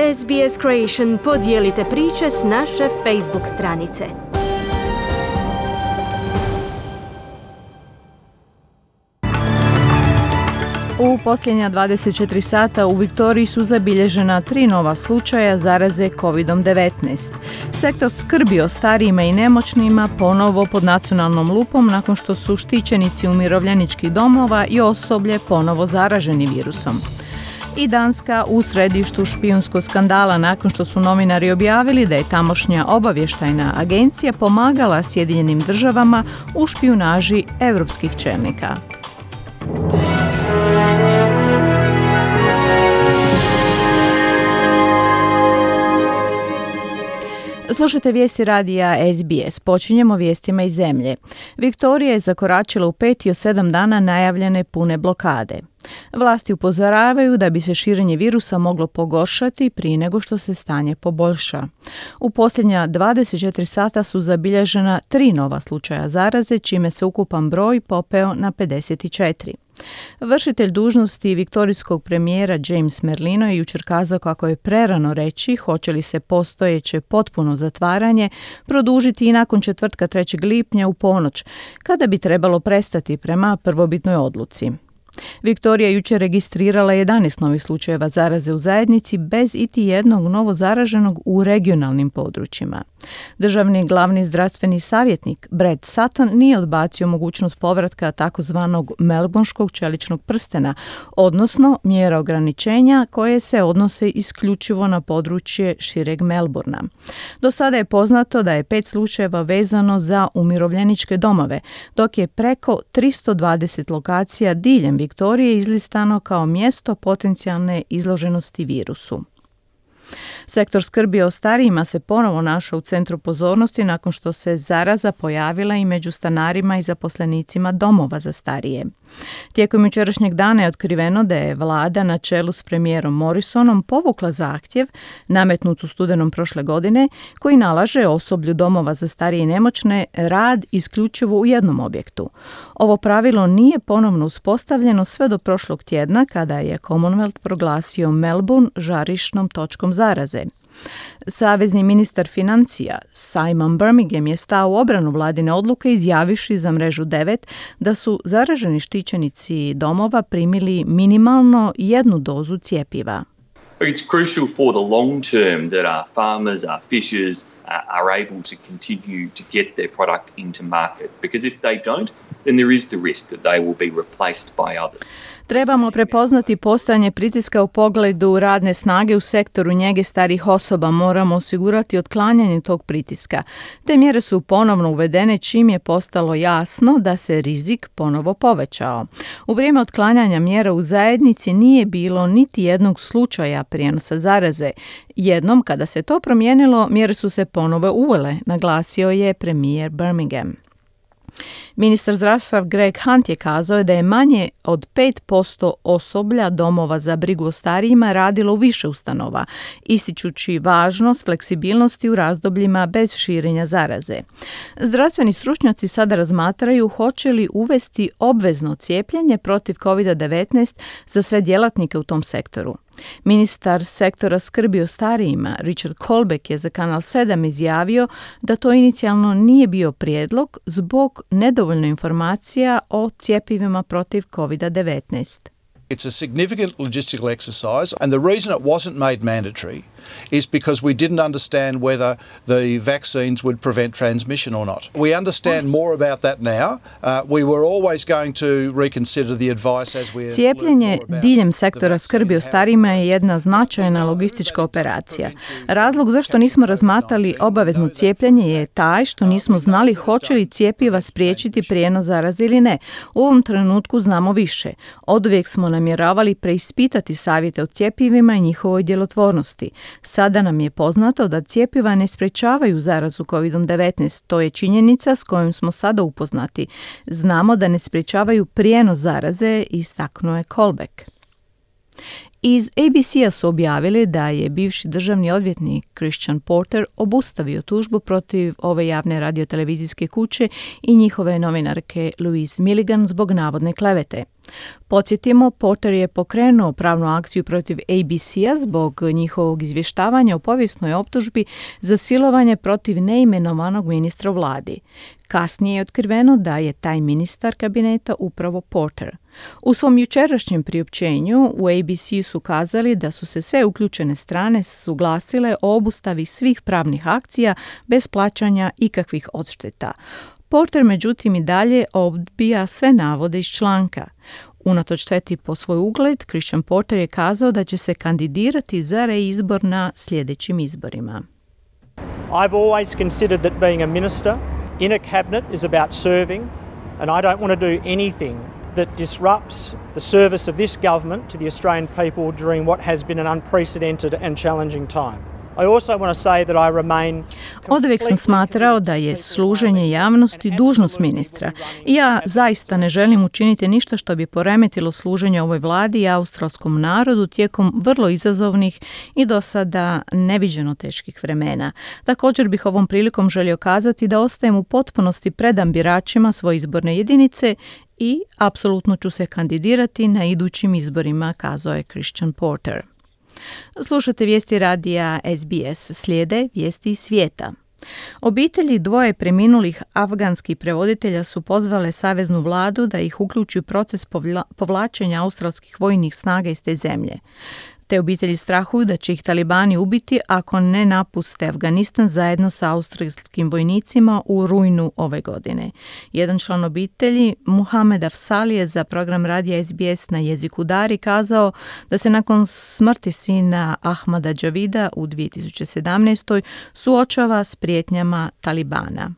SBS Creation podijelite priče s naše Facebook stranice. U posljednja 24 sata u Viktoriji su zabilježena 3 nova slučaja zaraze COVID-19. Sektor skrbi o starijima i nemoćnima ponovo pod nacionalnom lupom nakon što su štićenici umirovljeničkih domova i osoblje ponovo zaraženi virusom. I Danska u središtu špijunskog skandala nakon što su novinari objavili da je tamošnja obavještajna agencija pomagala Sjedinjenim državama u špijunaži europskih čelnika. Slušajte vijesti radija SBS. Počinjemo vijestima iz zemlje. Viktorija je zakoračila u 5 od 7 dana najavljene pune blokade. Vlasti upozoravaju da bi se širenje virusa moglo pogoršati prije nego što se stanje poboljša. U posljednja 24 sata su zabilježena 3 nova slučaja zaraze, čime se ukupan broj popeo na 54. Vršitelj dužnosti viktorijskog premijera James Merlino je jučer kazao kako je prerano reći hoće li se postojeće potpuno zatvaranje produžiti i nakon četvrtka 3. lipnja u ponoć, kada bi trebalo prestati prema prvobitnoj odluci. Viktorija jučer registrirala 11 novih slučajeva zaraze u zajednici bez iti jednog novo zaraženog u regionalnim područjima. Državni glavni zdravstveni savjetnik Brad Sutton nije odbacio mogućnost povratka takozvanog melbourneškog čeličnog prstena, odnosno mjera ograničenja koje se odnose isključivo na područje šireg Melbourna. Do sada je poznato da je 5 slučajeva vezano za umirovljeničke domove, dok je preko 320 lokacija diljem Viktorije izlistano kao mjesto potencijalne izloženosti virusu. Sektor skrbi o starijima se ponovo našao u centru pozornosti nakon što se zaraza pojavila i među stanarima i zaposlenicima domova za starije. Tijekom jučerašnjeg dana je otkriveno da je vlada na čelu s premijerom Morrisonom povukla zahtjev, nametnut u studenom prošle godine, koji nalaže osoblju domova za starije i nemoćne rad isključivo u jednom objektu. Ovo pravilo nije ponovno uspostavljeno sve do prošlog tjedna kada je Commonwealth proglasio Melbourne žarišnom točkom zaraze. Savezni ministar financija Simon Birmingham je stao u obranu vladine odluke izjavivši za Mrežu 9 da su zaraženi štićenici domova primili minimalno 1 dozu cjepiva. It's crucial for the long term that our farmers, our fishers are able to continue to get their product into market, because if they don't, then there is the risk that they will be replaced by others. Trebamo prepoznati postojanje pritiska u pogledu radne snage u sektoru njege starijih osoba. Moramo osigurati otklanjanje tog pritiska. Te mjere su ponovno uvedene čim je postalo jasno da se rizik ponovo povećao. U vrijeme otklanjanja mjera u zajednici nije bilo niti jednog slučaja prijenosa zaraze. Jednom kada se to promijenilo, mjere su se ponovo uvele, naglasio je premijer Birmingham. Ministar zdravstva Greg Hunt je kazao da je manje od 5% osoblja domova za brigu o starijima radilo u više ustanova, ističući važnost fleksibilnosti u razdobljima bez širenja zaraze. Zdravstveni stručnjaci sada razmatraju hoće li uvesti obvezno cijepljenje protiv COVID-19 za sve djelatnike u tom sektoru. Ministar sektora skrbi o starijima Richard Colbeck je za Kanal 7 izjavio da to inicijalno nije bio prijedlog zbog nedovoljno informacija o cjepivima protiv COVID-19. It's a significant logistical exercise, and the reason it wasn't made mandatory is because we didn't understand whether the vaccines would prevent transmission or not. We understand more about that now. We were always going to reconsider the advice as we Cijepljenje diljem sektora skrbi o starijima je jedna značajna logistička operacija. Razlog zašto nismo razmatrali obavezno cijepljenje je taj što nismo znali hoće li cjepiva spriječiti prijenos zaraze ili ne. U ovom trenutku znamo više. Oduvijek smo namjeravali preispitati savjete o cjepivima i njihovoj djelotvornosti. Sada nam je poznato da cjepiva ne sprečavaju zarazu COVID-19. To je činjenica s kojom smo sada upoznati. Znamo da ne sprečavaju prijenos zaraze, istaknuo je Colbeck. Iz ABC-a su objavili da je bivši državni odvjetnik Christian Porter obustavio tužbu protiv ove javne radiotelevizijske kuće i njihove novinarke Louise Milligan zbog navodne klevete. Podsjetimo, Porter je pokrenuo pravnu akciju protiv ABC-a zbog njihovog izvještavanja o povijesnoj optužbi za silovanje protiv neimenovanog ministra u vladi. Kasnije je otkriveno da je taj ministar kabineta upravo Porter. U svom jučerašnjem priopćenju u ABC su kazali da su se sve uključene strane suglasile o obustavi svih pravnih akcija bez plaćanja ikakvih odšteta. Porter međutim i dalje odbija sve navode iz članka. Unatoč šteti po svoj ugled, Christian Porter je kazao da će se kandidirati za reizbor na sljedećim izborima. I've always considered that being a minister in a cabinet is about serving, and I don't want to do anything that disrupts the service of this government to the Australian people during what has been an unprecedented and challenging time. I also want to say that I remain. Oduvijek sam smatrao da je služenje javnosti dužnost ministra. I ja zaista ne želim učiniti ništa što bi poremetilo služenje ovoj vladi i australskom narodu tijekom vrlo izazovnih i do sada neviđeno teških vremena. Također bih ovom prilikom želio kazati da ostajem u potpunosti predan biračima svoje izborne jedinice i apsolutno ću se kandidirati na idućim izborima, kazao je Christian Porter. Slušate vijesti radija SBS, slijede vijesti iz svijeta. Obitelji dvoje preminulih afganskih prevoditelja su pozvale saveznu vladu da ih uključi u proces povlačenja australskih vojnih snaga iz te zemlje. Te obitelji strahuju da će ih talibani ubiti ako ne napuste Afganistan zajedno sa australskim vojnicima u rujnu ove godine. Jedan član obitelji, Muhammad Afsal, je za program radija SBS na jeziku Dari kazao da se nakon smrti sina Ahmada Javida u 2017. suočava s prijetnjama talibana.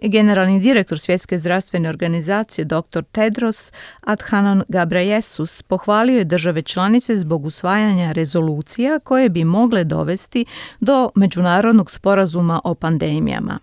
Generalni direktor Svjetske zdravstvene organizacije dr. Tedros Adhanom Ghebreyesus pohvalio je države članice zbog usvajanja rezolucija koje bi mogle dovesti do međunarodnog sporazuma o pandemijama.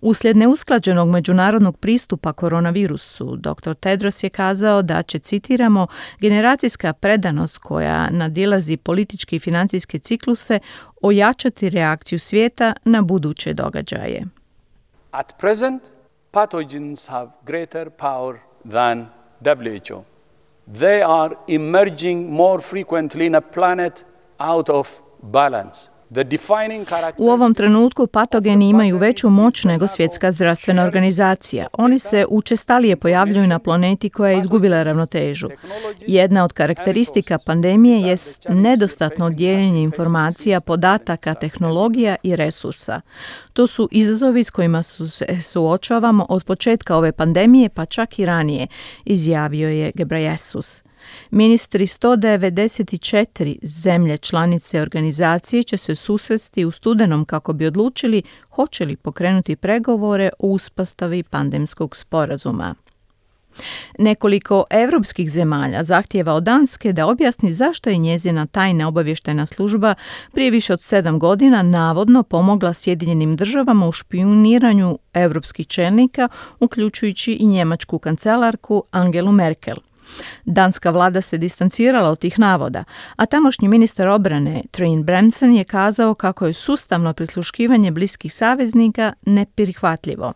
Uslijed neusklađenog međunarodnog pristupa koronavirusu, dr. Tedros je kazao da će, citiramo, generacijska predanost koja nadilazi političke i financijske cikluse ojačati reakciju svijeta na buduće događaje. At present, pathogens have greater power than WHO. They are emerging more frequently in a planet out of balance. U ovom trenutku patogeni imaju veću moć nego Svjetska zdravstvena organizacija. Oni se učestalije pojavljuju na planeti koja je izgubila ravnotežu. Jedna od karakteristika pandemije jest nedostatno dijeljenje informacija, podataka, tehnologija i resursa. To su izazovi s kojima se suočavamo od početka ove pandemije, pa čak i ranije, izjavio je Ghebreyesus. Ministri 194 zemlje članice organizacije će se susresti u studenom kako bi odlučili hoće li pokrenuti pregovore o uspostavi pandemskog sporazuma. Nekoliko europskih zemalja zahtijeva od Danske da objasni zašto je njezina tajna obavještajna služba prije više od 7 godina navodno pomogla Sjedinjenim državama u špijuniranju europskih čelnika, uključujući i njemačku kancelarku Angelu Merkel. Danska vlada se distancirala od tih navoda, a tamošnji ministar obrane Trine Bramsen je kazao kako je sustavno prisluškivanje bliskih saveznika neprihvatljivo.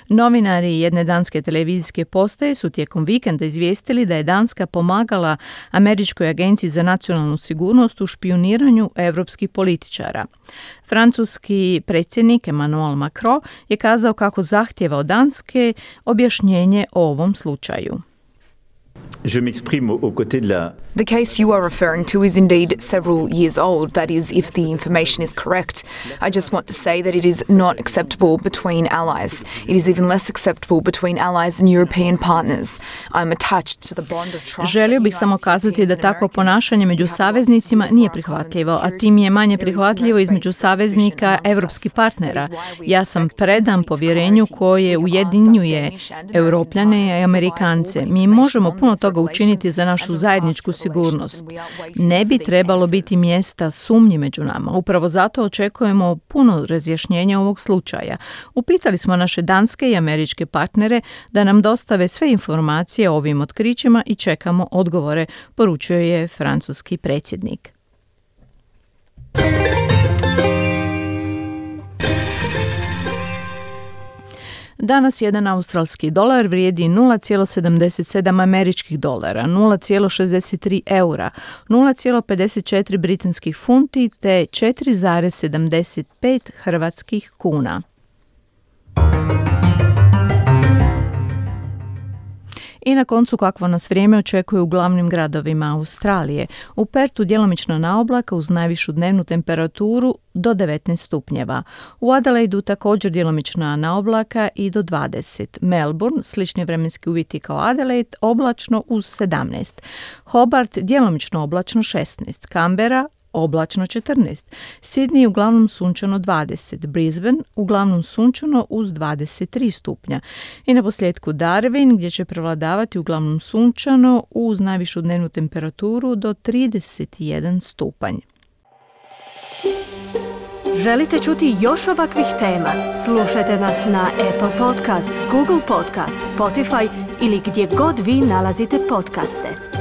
Novinari jedne danske televizijske postaje su tijekom vikenda izvijestili da je Danska pomagala Američkoj agenciji za nacionalnu sigurnost u špijuniranju europskih političara. Francuski predsjednik Emmanuel Macron je kazao kako zahtjeva od Danske objašnjenje o ovom slučaju. Je m'exprime aux côtés de la... The case you are referring to is indeed several years old, that is, if the information is correct. I just want to say that it is not acceptable between allies. It is even less acceptable between allies and European partners. I'm attached to the bond of trust. Želio bih samo kazati da takvo ponašanje među saveznicima nije prihvatljivo, a tim je manje prihvatljivo između saveznika evropskih partnera. Ja sam predan povjerenju koje ujedinjuje Europljane i Amerikance. Mi možemo puno toga mnogo učiniti za našu zajedničku sigurnost. Ne bi trebalo biti mjesta sumnji među nama. Upravo zato očekujemo puno razjašnjenja ovog slučaja. Upitali smo naše danske i američke partnere da nam dostave sve informacije o ovim otkrićima i čekamo odgovore, poručio je francuski predsjednik. Danas jedan australski dolar vrijedi 0,77 američkih dolara, 0,63 eura, 0,54 britanskih funti te 4,75 hrvatskih kuna. I na koncu kakvo nas vrijeme očekuje u glavnim gradovima Australije. U Pertu djelomično na oblaka uz najvišu dnevnu temperaturu do 19 stupnjeva. U Adelaidu također djelomično na oblaka i do 20. Melbourne, slični vremenski uvjeti kao Adelaide, oblačno uz 17. Hobart, djelomično oblačno 16. Canberra, oblačno 14. Sydney uglavnom sunčano 20. Brisbane uglavnom sunčano uz 23 stupnja. I na posljedku Darwin gdje će prevladavati uglavnom sunčano uz najvišu dnevnu temperaturu do 31 stupanj. Želite čuti još ovakvih tema? Slušajte nas na Apple Podcast, Google Podcast, Spotify ili gdje god vi nalazite podcaste.